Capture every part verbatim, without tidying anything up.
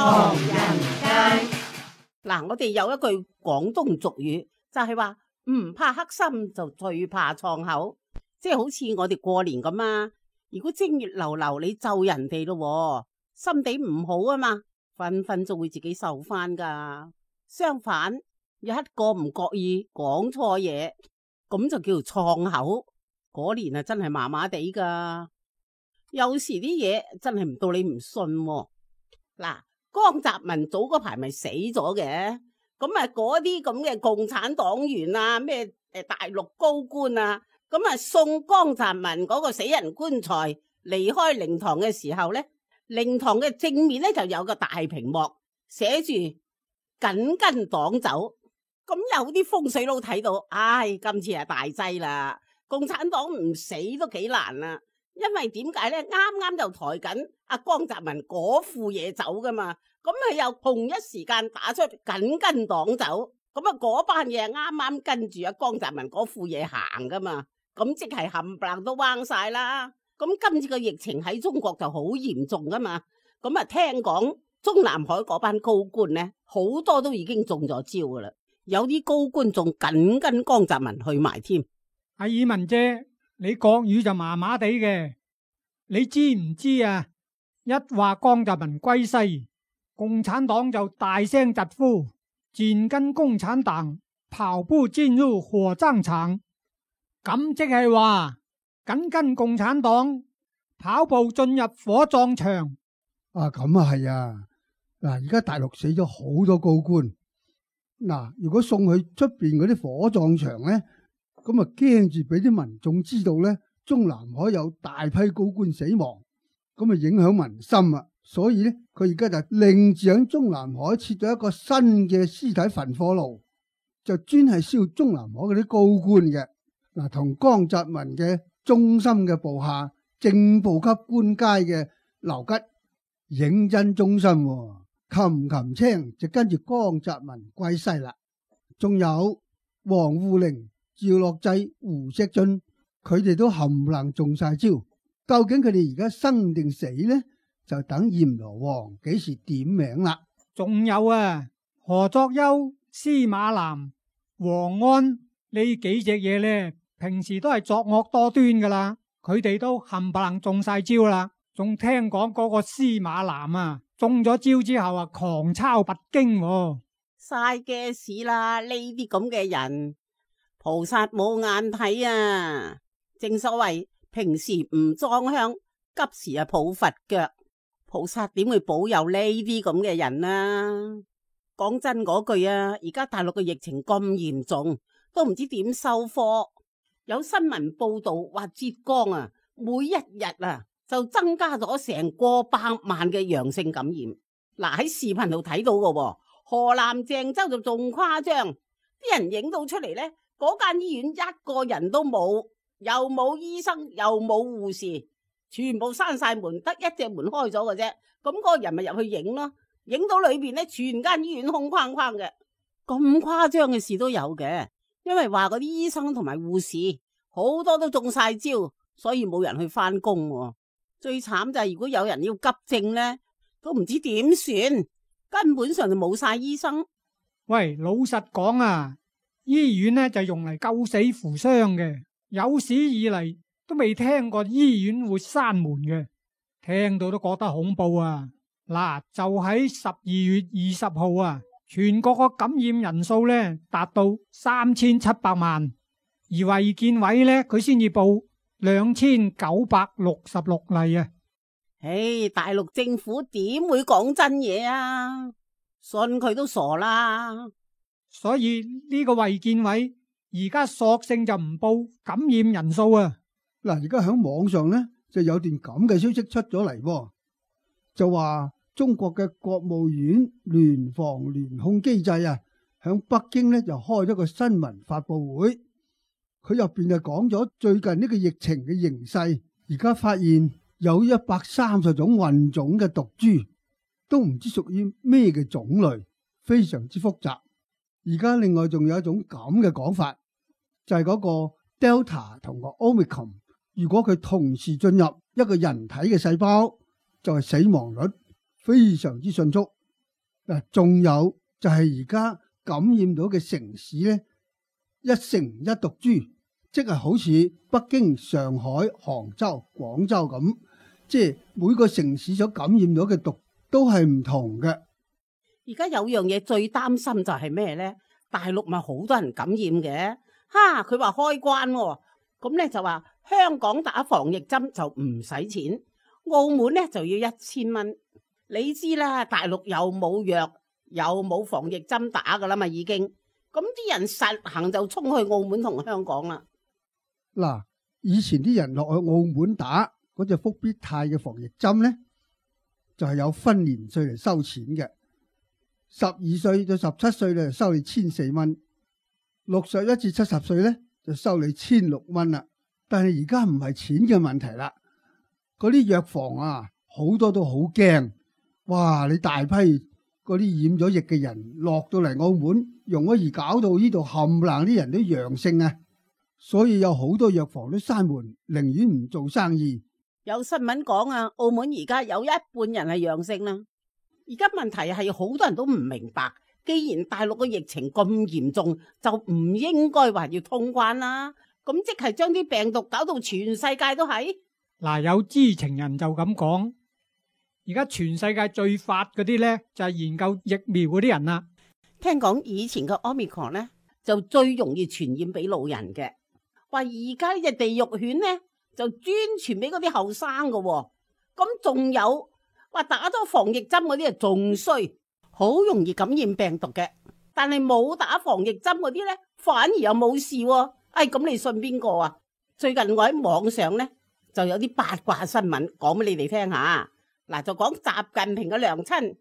唐人街。嗱，我哋有一句廣東俗語，就係話唔怕黑心，就最怕創口。即係好似我哋過年咁啊，如果正月流流你咒人哋咯，心地唔好啊嘛，分分鐘會自己受翻噶。相反，有一個唔覺意講錯嘢，咁就叫做創口。嗰年啊，真係麻麻地噶。有時啲嘢真係唔到你唔信喎。嗱，江澤民早嗰排咪死咗嘅，咁啊嗰啲咁嘅共產黨員啊，咩誒大陸高官啊，咁啊送江澤民嗰個死人棺材離開靈堂嘅時候咧，靈堂嘅正面咧就有個大屏幕寫住緊跟黨走。咁有啲風水佬睇到，唉，今次係大劑啦，共產黨唔死都幾難啦。因為點解咧？啱啱就抬緊阿江澤民嗰副嘢走噶嘛，咁佢又同一時間打出緊跟黨走，咁啊嗰班嘢啱啱跟住阿江澤民嗰副嘢行噶嘛，咁即係冚唪唥都彎晒啦。咁今次個疫情喺中國就好嚴重噶嘛，咁啊聽講中南海嗰班高官咧，好多都已經中咗招噶啦，有啲高官仲緊跟江澤民去埋添。阿爾文姐，你國語就麻麻地嘅，你知唔知啊？一話江澤民歸西，共產黨就大聲疾呼，緊跟共產黨，跑步進入火葬場。咁即係話緊跟共產黨，跑步進入火葬場。啊，咁啊係啊！嗱，而家大陸死咗好多高官，嗱，如果送去出邊嗰啲火葬場咧，咁啊驚住俾啲民眾知道咧，中南海有大批高官死亡，咁啊影響民心啊！所以咧，佢而家就另住喺中南海設咗一個新嘅屍體焚火爐，就專係燒中南海嗰啲高官嘅。嗱，同江澤民嘅忠心嘅部下正部級官階嘅劉吉認真忠心，擒擒青就跟住江澤民歸西啦。仲有王滬寧、趙樂際、胡錫進，佢哋都冚唪唥中晒招。究竟佢哋而家生定死呢？就等閻羅王幾時點名啦。仲有啊，何作優、司馬南、王安呢幾隻嘢呢，平時都係作惡多端噶啦，佢哋都冚唪唥中晒招啦。仲聽講嗰個司馬南啊，中咗招之後啊，狂抄佛經喎。嘥嘅事啦，呢啲咁嘅人，菩薩冇眼睇啊！正所謂平時唔裝香，急時啊抱佛腳。菩薩點會保佑呢啲咁嘅人啊？講真嗰句啊，而家大陸嘅疫情咁嚴重，都唔知點收科。有新聞報道話浙江啊，每一日啊就增加咗成過百萬嘅陽性感染。嗱，喺視頻度睇到嘅，河南鄭州就仲誇張，啲人影到出嚟呢，嗰間醫院一個人都冇，又冇醫生，又冇護士。全部閂晒門，得一隻門開咗嘅啫。咁嗰個人咪入去影咯，影到裏邊咧，全間醫院空框框嘅。咁誇張嘅事都有嘅，因為話嗰啲醫生同埋護士好多都中晒招，所以冇人去翻工。最慘就係如果有人要急症咧，都唔知點算，根本上就冇晒醫生。喂，老實講啊，醫院咧就用嚟救死扶傷嘅，有史以嚟都未聽過醫院會閂門嘅，聽到都覺得恐怖啊！嗱，就喺十二月二十號啊，全國個感染人數咧達到三千七百萬，而衛健委咧佢先至報兩千九百六十六例啊！唉，大陸政府點會講真嘢啊？信佢都傻啦！所以呢個衛健委而家索性就唔報感染人數啊！嗱，而家喺網上咧就有段咁嘅消息出咗嚟，就話中國嘅國務院聯防聯控機制啊，喺北京咧就開咗個新聞發佈會，佢入邊就講咗最近呢個疫情嘅形勢，而家發現有一百三十種混種嘅毒株，都唔知屬於咩嘅種類，非常之複雜。而家另外仲有一種咁嘅講法，就係嗰個 Delta 同個 Omicron。如果佢同時進入一個人體嘅細胞，就係死亡率非常之迅速，嗱，仲有就係而家感染到嘅城市咧，一城一毒株，即係好似北京、上海、杭州、廣州咁，即係每個城市所感染到嘅毒都係唔同嘅。而家有樣嘢最擔心就係咩咧？大陸咪好多人感染嘅，哈！佢話開關喎，咁咧就話香港打防疫針就唔使錢，澳門咧就要一千蚊。你知啦，大陸又冇藥，又冇防疫針打噶啦嘛，已經。咁啲人實行就衝去澳門同香港啦。嗱，以前啲人落去澳門打嗰隻復必泰嘅防疫針咧，就係有分年歲嚟收錢嘅。十二歲到十七歲咧就收你千四蚊，六十一至七十歲咧就收你千六蚊啦。但係而家唔係錢嘅問題啦，嗰啲藥房啊好多都好驚，哇！你大批嗰啲染咗疫嘅人落到嚟澳門，容咗而搞到呢度冚唪唥啲人都陽性啊，所以有好多藥房都閂門，寧願唔做生意。有新聞講啊，澳門而家有一半人係陽性啦。而家問題係好多人都唔明白，既然大陸嘅疫情咁嚴重，就唔應該話要通關啦。咁即係將啲病毒搞到全世界都係。嗱，有知情人就咁講，而家全世界最發嗰啲咧就係研究疫苗嗰啲人啦。聽講以前嘅 Omicron 咧就最容易傳染俾老人嘅，話而家呢隻地獄犬咧就專傳俾嗰啲後生嘅。咁仲有話打咗防疫針嗰啲啊仲衰，好容易感染病毒嘅。但係冇打防疫針嗰啲咧，反而又冇事。哎，咁你信邊個啊？最近我喺網上咧就有啲八卦新聞講俾你哋聽下。嗱，就講習近平嘅娘親，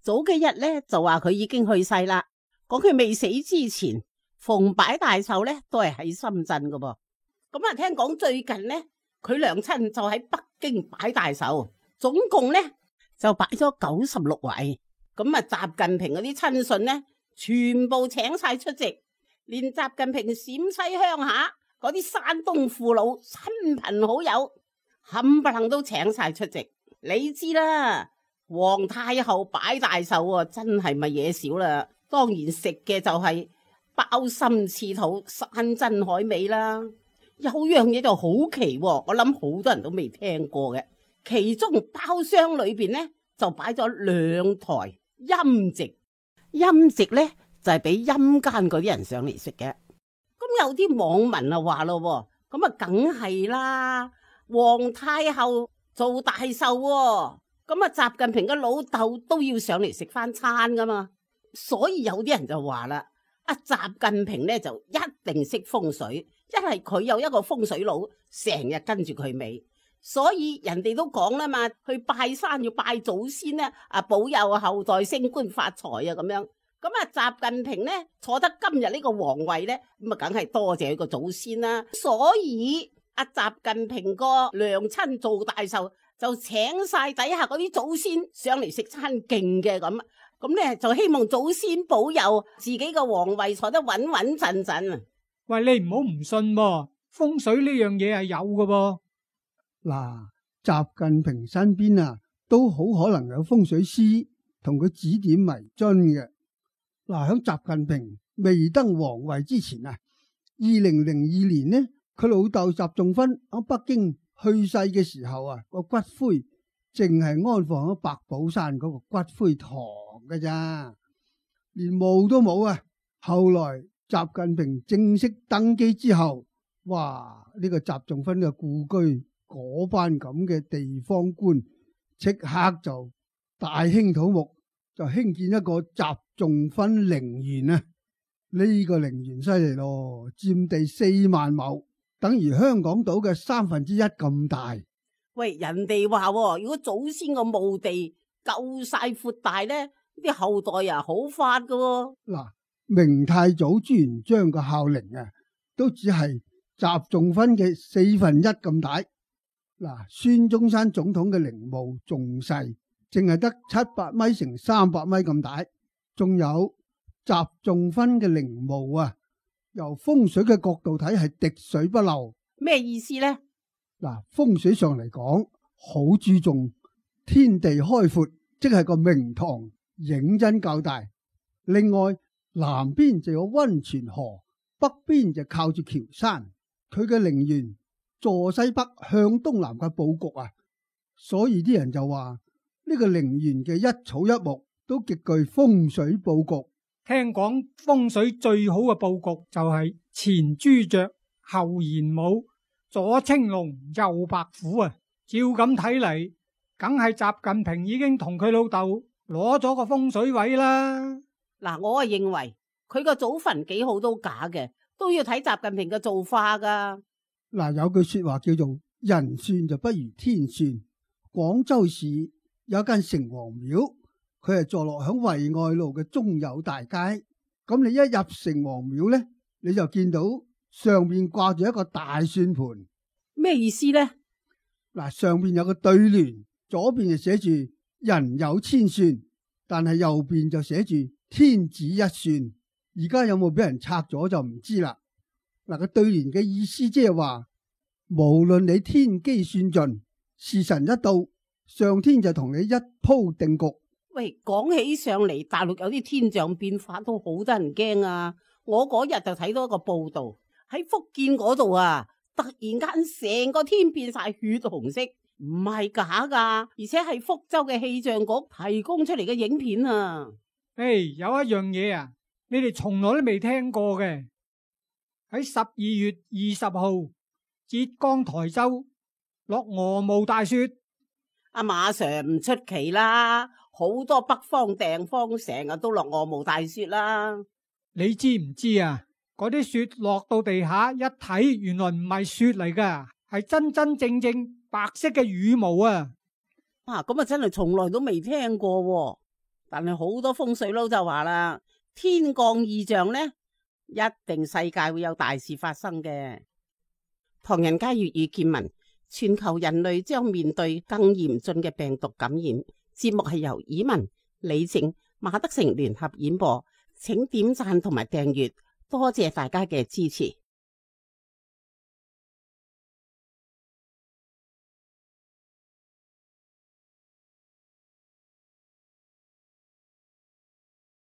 早幾日咧就話佢已經去世啦。講佢未死之前，逢擺大壽咧都係喺深圳噶噃。咁啊，聽講最近咧佢娘親就喺北京擺大壽，總共咧就擺咗九十六位。咁啊，習近平嗰啲親信咧全部請晒出席，連習近平陝西鄉下嗰啲山東父老、親朋好友冚唪唥都請晒出席。你知啦，皇太后擺大壽啊，真係咪嘢少啦？當然食嘅就係鮑參翅肚、山珍海味啦。有樣嘢就好奇，我諗好多人都未聽過嘅。其中包廂裏邊咧就擺咗兩台陰席，陰席咧就係俾陰間嗰啲人上嚟食嘅。咁有啲網民啊話咯，咁啊梗係啦，皇太后做大壽喎，咁啊習近平嘅老豆都要上嚟食翻餐噶嘛，所以有啲人就話啦，阿習近平咧就一定識風水，一係佢有一個風水佬成日跟住佢尾，所以人哋都講啦嘛，去拜山要拜祖先咧，啊保佑後代升官發財啊咁樣。咁啊習近平咧坐得今日呢個皇位咧，咁啊梗係多謝佢個祖先啦，所以阿習近平個娘親做大壽，就請晒底下嗰啲祖先上嚟食餐勁嘅咁，咁咧就希望祖先保佑自己個皇位坐得穩穩陣陣啊！喂，你唔好唔信噃，風水呢樣嘢係有嘅噃。嗱，習近平身邊啊，都好可能有風水師同佢指點迷津嘅。嗱，響習近平未登皇位之前啊，二零零二年呢，佢老豆習仲勳喺北京去世嘅時候啊，個骨灰淨係安放喺白寶山嗰個骨灰堂嘅咋，連墓都冇啊。後來習近平正式登基之後，哇！呢個習仲勳嘅故居嗰班咁嘅地方官，即刻就大興土木，就興建一個習仲勳陵園啊！呢個陵園犀利咯，佔地四萬畝，等於香港島嘅三分之一咁大。喂，人哋話如果祖先個墓地夠晒闊大咧，啲後代啊好發噶。嗱，明太祖朱元璋個孝陵啊，都只係習仲勳嘅四分一咁大。嗱，孫中山總統嘅陵墓仲細，淨係得七百米乘三百米咁大。仲有習仲勳嘅陵墓啊，由風水嘅角度睇係滴水不漏。咩意思呢？嗱，風水上嚟講，好注重天地開闊，即係個明堂認真較大。另外南邊就有溫泉河，北邊就靠住橋山，佢嘅陵園坐西北向東南嘅布局啊，所以啲人就話呢個陵園嘅一草一木都極具風水布局。聽講風水最好嘅布局就係前朱雀後玄武左青龍右白虎啊！照咁睇嚟，梗係習近平已經同佢老豆攞咗個風水位啦。嗱，我啊認為佢個祖墳幾好都假嘅，都要睇習近平嘅造化噶。嗱，有句說話叫做人算就不如天算。廣州市有間城隍廟，佢係坐落響惠愛路嘅中友大街。咁你一入城隍廟呢，你就見到上面掛住一個大算盤。咩意思呢？嗱，上面有個對聯，左邊就寫住人有千算，但係右邊就寫住天子一算。而家有冇俾人拆咗就唔知啦。嗱，個對聯嘅意思即係話，無論你天機算盡，時辰一到，上天就同你一鋪定局。喂，講起上嚟，大陸有啲天象變化都好得人驚啊！我嗰日就睇到一個報道，喺福建嗰度啊，突然間成個天變晒血紅色，唔係假噶，而且係福州嘅氣象局提供出嚟嘅影片啊！誒，有一樣嘢啊，你哋從來都未聽過嘅，喺十二月二十號，浙江台州落鵝毛大雪。阿馬 Sir 唔出奇啦，好多北方地方成日都落鵝毛大雪啦。你知唔知啊？嗰啲雪落到地下一睇，原來唔係雪嚟噶，係真真正正白色嘅羽毛啊！啊，咁啊真係從來都未聽過，但係好多風水佬就話啦，天降異象呢，一定世界會有大事發生嘅。唐人街粵語見聞，全球人類將面對更嚴峻嘅病毒感染。節目係由以文、李靜、馬德成聯合演播，請點讚同埋訂閱，多謝大家嘅支持。